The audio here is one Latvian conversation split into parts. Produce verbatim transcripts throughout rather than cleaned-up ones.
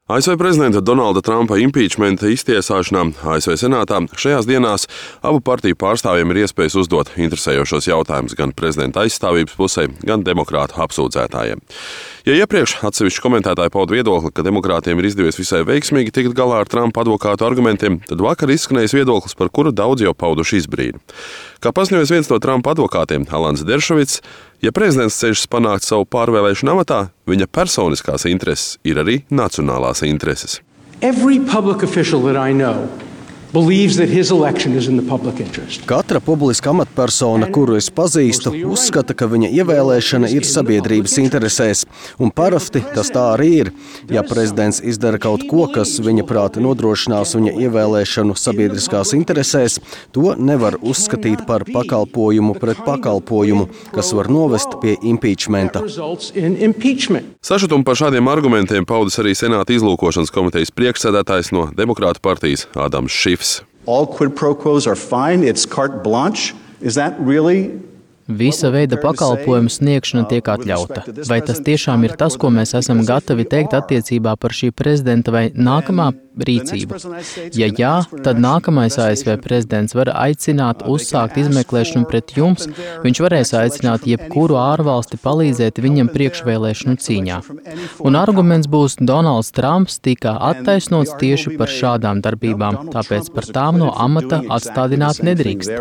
A S V prezidenta Donalda Trumpa impeachmenta iztiesāšanā A S V senātā šajās dienās abu partiju pārstāvjiem ir iespējas uzdot interesējošos jautājumus gan prezidenta aizstāvības pusē, gan demokrātu apsūdzētājiem. Ja iepriekš atsevišķi komentētāji pauda viedokli, ka demokrātiem ir izdevies visai veiksmīgi tikt galā ar Trumpa advokātu argumentiem, tad vakar izskanējis viedoklis, par kuru daudz jau pauduši izbrīnu. Kā paziņoja viens no Trumpa advokātiem, Alans Deršovits, ja prezidents cenšas panākt savu pārvēlēšanu amatā, viņa personiskās intereses ir arī nacionālās intereses. Every public official that I know believes that his election is in the public interest. Katra publiska amatpersona, kuru es pazīstu, uzskata, ka viņa ievēlēšana ir sabiedrības interesēs, un parasti tas tā arī ir. Ja prezidents izdara kaut ko, kas viņa prāti nodrošinās viņa ievēlēšanu sabiedriskās interesēs, to nevar uzskatīt par pakalpojumu pret pakalpojumu, kas var novest pie impeachmenta. Sašutumu par šādiem argumentiem paudis arī Senāta izlūkošanas komitejas priekšsēdētājs no Demokrātu partijas Ādams Šifs. All quid pro quos are fine. It's carte blanche. Is that really? Visa veida pakalpojumu sniegšana tiek atļauta. Vai tas tiešām ir tas, ko mēs esam gatavi teikt attiecībā par šī prezidenta vai nākamā rīcību? Ja jā, tad nākamais A S V prezidents var aicināt uzsākt izmeklēšanu pret jums, viņš varēs aicināt jebkuru ārvalsti palīdzēt viņam priekšvēlēšanu cīņā. Un arguments būs, Donalds Trumps tika attaisnots tieši par šādām darbībām, tāpēc par tām no amata atstādināt nedrīkst.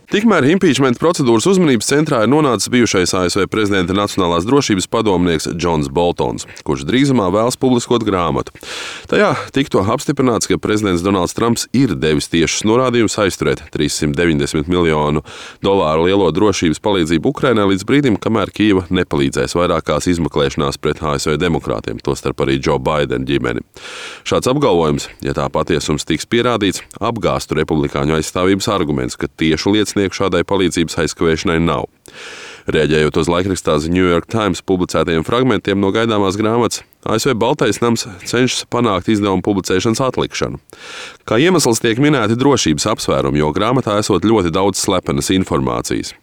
Tikmēr impeachment procedūras uzmanības centrā ir nonācis bijušais A S V prezidenta nacionālās drošības padomnieks Džons Boltons, kurš drīzumā vēlas publiskot grāmatu. Tajā tikto apstiprināts, ka prezidents Donalds Trumps ir devis tiešus norādījumus aizturēt trīs simt deviņdesmit miljonu dolāru lielo drošības palīdzību Ukrainai līdz brīdim, kamēr Kijeva nepalīdzēs vairākās izmeklēšanās pret A S V demokrātiem, tostarp arī Joe Biden ģimeni. Šāds apgalvojums, ja tā patiesums tiks pierādīts, apgāstu republikāņu aizstāvības arguments, ka tiešu liecinieki šādai palīdzības aizkavēšanai nav. Reaģējot uz laikrakstā The New York Times publicētajiem fragmentiem no gaidāmās grāmatas, A S V Baltais nams cenšas panākt izdevumu publicēšanas atlikšanu. Kā iemesls tiek minēti drošības apsvērumi, jo grāmatā esot ļoti daudz slepenas informācijas.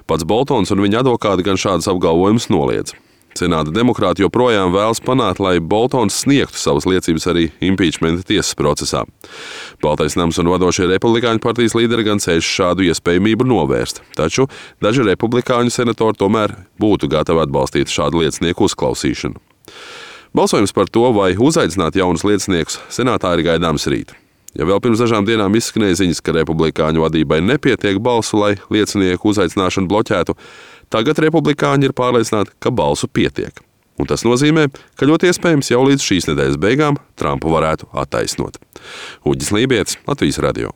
Pats Boltons un viņa advokāti gan šādas apgalvojumus noliedz. Senāta demokrāti joprojām vēlas panākt, lai Boltons sniegtu savas liecības arī impeachmenta tiesas procesā. Baltais nams un vadošie republikāņu partijas līderi gan cenšas šādu iespējamību novērst, taču daži republikāņu senatori tomēr būtu gatavi atbalstīt šādu liecinieku uzklausīšanu. Balsojums par to, vai uzaicināt jaunus lieciniekus, senātā ir gaidāms rīt. Ja vēl pirms dažām dienām izskanēja ziņas, ka republikāņu vadībai nepietiek balsu, lai liecinieku uzaicināšanu bloķētu, tagad republikāņi ir pārliecināti, ka balsu pietiek. Un tas nozīmē, ka ļoti iespējams jau līdz šīs nedēļas beigām Trumpu varētu attaisnot. Uģis Lībietis, Latvijas radio.